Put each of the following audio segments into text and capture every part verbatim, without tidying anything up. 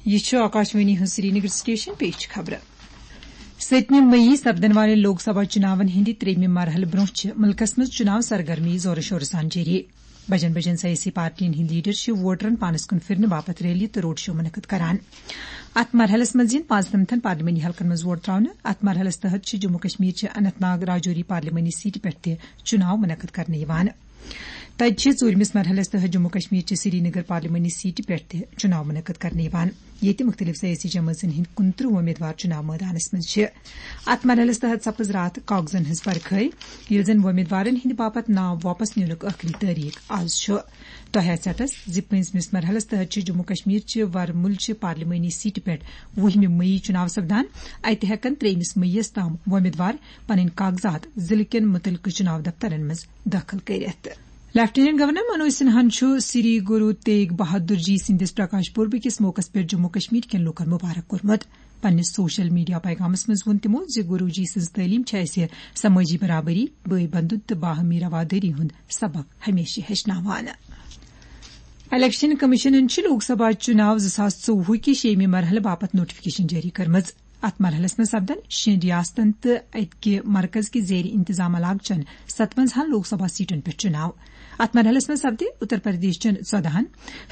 یہِ چھُ آکاشوانی ہٕنٛز سرینگر سٹیشن۔ پیش چھِ خبرٕ۔ سٔتمہِ مئی سپدن والٮ۪ن لوک سبھا چُناون ہٕنٛدِ ترٛیٚیمہِ مرحلہٕ برٛونٛہہ چھِ مُلکس منٛز چُناو سرگرمی زورٕ شورٕ سان جٲری۔ بجن بجن سیٲسی پارٹین ہٕنٛدۍ لیڈر چھِ ووٹرن پانس کُن پھِرنہٕ باپتھ ریلی تہٕ روڈ شو منعقد کران۔ اتھ مرحلس منٛز یِن پانٛژنمتھن پارلیمانی حلقن منٛز ووٹ تراونہٕ۔ اتھ مرحلس تحت چھِ جموں کشمیر چہِ اننت ناگ راجوری پارلیمانی سیٹہِ پٮ۪ٹھ تہِ چُناو منعقد کرنہٕ یِوان۔ تَتہِ چھِ ژوٗرمِس مرحلَس تحت جموں کشمیر چہِ سرینگر پارلیمانی سیٹہِ پٮ۪ٹھ تہِ چُناو منعقد کرنہٕ یِوان، ییٚتہِ مُختٔلِف سیٲسی جمٲژن ہٕنٛدۍ کُنترٕہ وۄمیدوار چُناو مٲدانَس منٛز چھِ۔ اَتھ مرحلَس تحت سپٕز راتھ کاغذن ہٕنٛز پرکھٲے، ییٚلہِ زَن وۄمیدوارن ہٕنٛدِ باپتھ ناو واپس نِنُک ٲخری تٲریخ آز چھُ۔ تۄہہِ آسہِ اتھس زِ پٲنٛژمِس مرحلَس تحت چھِ جموں کشمیر چہِ ورمُل چہِ پارلیمانی سیٹہِ پٮ۪ٹھ وُہمہِ مئی چُناو سپدان۔ اَتہِ ہٮ۪کن ترٛیٚیمِس مئیس تام وۄمیدوار پنٕنۍ کاغذات ضلعہٕ کٮ۪ن مُتعلقہٕ چُناو دفترن منٛز دٲخل کٔرِتھ۔ لیفٹیننٹ گورنر منوج سنہاہن چھُ سری گرو تیگ بہادر جی سٕنٛدِس پرکاش پربہٕ کِس موقعس پٮ۪ٹھ جموں کشمیر کٮ۪ن لوٗکن مبارک کوٚرمُت۔ پننِس سوشل میڈیا پیغامس منٛز ووٚن تِمو زِ گرو جی سٕنٛز تعلیٖم چھےٚ اَسہِ سمٲجی برابری، بٲے بندُت تہٕ باہمی روادٲری ہُنٛد سبق ہمیشہِ ہیٚچھناوان۔ الیکشن کمیشنن چھِ لوک سبھا چُناو زٕ ساس ژوٚوُہ کہِ شیٚیِمہِ مرحلہٕ باپتھ نوٹیفکیشن جٲری کٔرمٕژ۔ اتھ مرحلس منٛز سپدن شیٚن ریاستن تہٕ اتہِ کہِ مرکز کہِ زیر انتظام علاقہٕ چٮ۪ن ستونزاہن لوک سبھا سیٹن پٮ۪ٹھ چُناو۔ اتھ مرحلس منٛز سپدِ اتر پردیش چٮ۪ن ژۄدہن،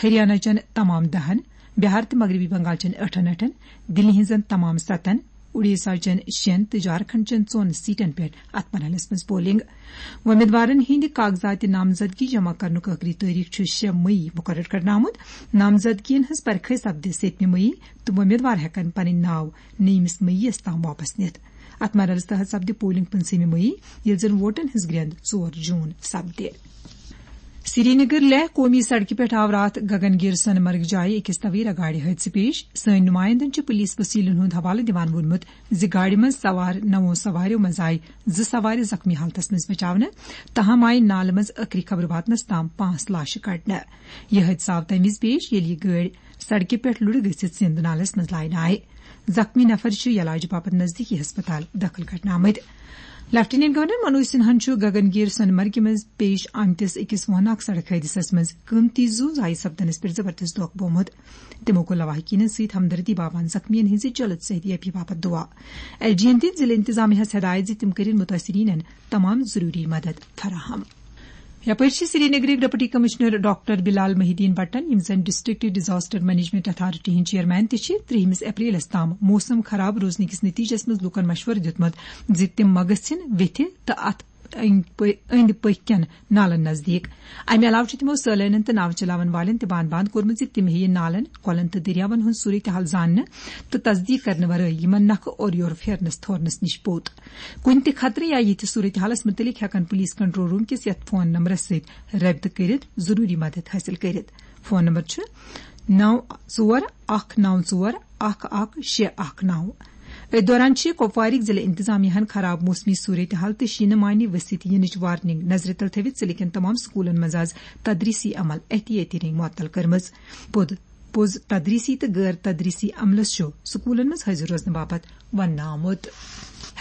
ہریانہ چٮ۪ن تمام دہن، بہار تہٕ مغربی بنگال چٮ۪ن ٲٹھن ٲٹھن، دِلہِ ہٕنٛزن تمام ستن، اُڈیسا چٮ۪ن شٮ۪ن تہٕ جھارکھنڈ چٮ۪ن ژۄن سیٹن پٮ۪ٹھ اتھ مرحلس منٛز پولنگ۔ وۄمیدوارن ہٕنٛدِ کاغذاتِ نامزدگی جمع کرنُک ٲخری تٲریخ چھُ شےٚ مئی مقرر کرنہٕ آمُت۔ نامزدگین ہٕنٛز پرکھٲے سپدِ سٔتمہِ مئی تہٕ وۄمیدوار ہٮ۪کن پنٕنۍ ناو نٔیمِس مئی یَس تام واپس نِتھ۔ اتھ مرحلس تحت سپدِ پولنگ پٕنٛژٕہمہِ مئی، ییٚلہِ زن ووٹن ہٕنٛز گرٛٮ۪ند ژور جوٗن سپدِ۔ سرینگر لیہہ قومی سڑکہِ پٮ۪ٹھ آو راتھ گگن گیر سۄنہٕ مرگ جایہِ أکِس تویرا گاڑِ حٲدثہٕ پیش۔ سٲنۍ نُمایندن چھِ پُلیٖس وسیٖلن ہُنٛد حوالہٕ دِوان ووٚنمُت زِ گاڑِ منٛز سوار نَوو سواریو منٛز آیہِ زٕ سوارِ زخمی حالتس منٛز بچاونہٕ۔ تاہم آیہِ نالہٕ منٛز ٲخری خبر واتنس تام پانٛژھ لاشہِ کڑنہٕ۔ یہِ حٲدثہٕ آو تَمہِ وِزِ پیش، ییٚلہِ یہِ گٲڑۍ سڑکہِ پٮ۪ٹھ لُرِ گٔژھِتھ سِنٛد نالس منٛز لاینہٕ آیہِ۔ زخمی نفر چھِ علاج باپتھ نزدیٖکی ہسپتال دٲخل کرنہٕ آمٕتۍ۔ لیفٹیننٹ گورنر منوج سنہاہن چھُ گگن گیر سۄنہٕ مرگہِ منٛز پیش آمتِس أکِس ووناک سڑک حٲدثس منٛز قۭمتی زُو ضایع سپدنس پٮ۪ٹھ زبردست دۄکھ بوٚومُت۔ تِمو کوٚر لواحقینن سۭتۍ ہمدردی باوان زخمیَن ہٕنٛزِ جلد صحت یابی باپتھ دُعا۔ ایل جی یَن دِتۍ ضلعہٕ انتظامیہ ہَس ہدایت زِ تِم کٔرِن مُتٲثریٖنَن تمام ضروٗری مدد فراہم۔ یپٲرۍ چھِ سرینگرٕکۍ ڈپٹی کمشنر ڈاکٹر بلال محی الدین بٹن، یِم زن ڈسٹرکٹ ڈیزاسٹر مینجمنٹ اتھارٹی ہٕنٛدۍ چیئرمین تہِ چھِ، ترٛیٚیمِس اپریلس تام موسم خراب روزنہٕ کِس نتیجس منٛز لوٗکن مشورٕ دیُتمُت زِ تِم ما گژھن ویتھِ تہٕ اتھ أنٛدۍ پٔ-، أنٛدۍ پٔکۍ کٮ۪ن نالن نزدیٖک۔ امہِ علاوٕ چھُ تِمو سٲلٲنٮ۪ن تہٕ ناوٕ چلاون والٮ۪ن تہِ باند باند کوٚرمُت زِ تِم ہیٚیہِ نالن، کۄلن تہٕ دٔریاون ہُنٛد صورتحال زاننہٕ تہٕ تصدیٖق کرنہٕ ورٲے یِمن نکھٕ اورٕ یورٕ پھیرنس تھورنس نِش پوٚت۔ کُنہِ تہِ خطرٕ یا یِتھِ صورتحالس مُتعلق ہٮ۪کن پُلیٖس کنٹرول روٗم کِس یتھ فون نمبرس سۭتۍ رٲبطہٕ کٔرِتھ ضروٗری مدد حٲصِل کٔرِتھ۔ فون نمبر چھُ نَو ژور اکھ نَو ژور اکھ اکھ شےٚ اکھ نَو۔ أتھۍ دوران چھِ کۄپوارٕکۍ ضلعہٕ انتظامیہ ہن خراب موسمی صورتحال تہٕ شیٖنہٕ مانہِ ؤسِتھ یِنٕچ وارننگ نظرِ تل تھٲوِتھ ضلعہٕ کٮ۪ن تمام سکوٗلن منٛز آز تدریٖسی عمل احتیٲتی رنگۍ معطل کٔرمٕژ۔ پوٚد پوٚز تدریٖسی تہٕ غٲر تدریٖسی عملس چھُ سکوٗلن منٛز حٲضِر روزنہٕ باپتھ وننہٕ آمُت۔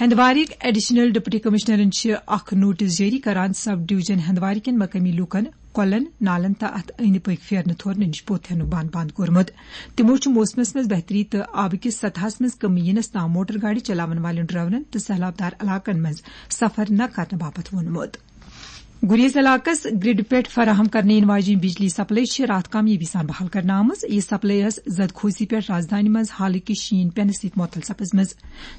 ہندوارٕکۍ ایڈیشنل ڈپٹی کمشنرن چھِ اکھ نوٹس جٲری کران سب ڈویژن ہندوارٕ کٮ۪ن مقٲمی لوٗکن کۄلن، نالن تہٕ اتھ أنٛدۍ پٔکۍ پھیرنہٕ تھورنہٕ نِش پوٚت ہینُک بند بند کوٚرمُت۔ تِمو چھُ موسمس منٛز بہتری تہٕ آبہٕ کِس سطحس منٛز کمی یِنس تام موٹر گاڑِ چلاون والٮ۪ن ڈرائیورن تہٕ سہلابدار علاقن منٛز سفر نہ کرنہٕ باپتھ ووٚنمُت۔ گریز علاقس گرڈ پٮ۪ٹھ فراہم کرنہٕ یِنہٕ واجیٚنۍ بجلی سپلائی چھِ راتھ کامیٲبی سان بحال کرنہٕ آمٕژ۔ یہِ سپلائی ٲس زدخوزی پٮ۪ٹھ رازدانہِ منٛز حالٕکہِ شیٖن پٮ۪نہٕ سۭتۍ معطل سپٕزمٕژ۔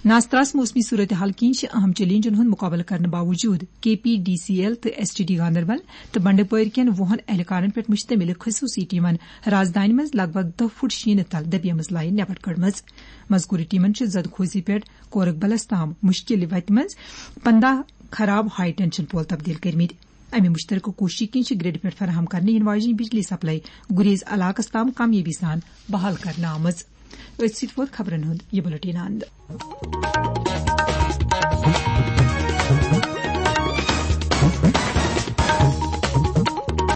ناستراس موسمی صورتحال کِنۍ چھِ اہم چیلنجن ہُنٛد مُقابلہٕ کرنہٕ باوجوٗد کے پی ڈی سی ایل تہٕ ایس ٹی ڈی گاندربل تہٕ بنڈپورِ کٮ۪ن وُہن اہلکارن پٮ۪ٹھ مشتمل خصوٗصی ٹیمن رازدانہِ منٛز لگ بھگ دَہ فُٹ شیٖنہٕ تل دبیمٕژ لائن نٮ۪بر کٔڑمٕژ۔ مذکورٕ ٹیمن چھِ زدخوزی پٮ۪ٹھ کورک بلس تام مشکل وتہِ منٛز پنداہ خراب ہائی ٹینشن پول تبدیل کٔرمٕتۍ۔ امہِ مشترکہٕ کوٗششہِ کِنۍ چھِ گرڈ پٮ۪ٹھ فراہم کرنہٕ یِنہٕ واجیٚنۍ بجلی سپلائی گریز علاقس تام کامیٲبی سان بحال کرنہٕ آمٕژ۔ أتھۍ سۭتۍ ووت خبرن ہُنٛد یہِ بُلٹن اند۔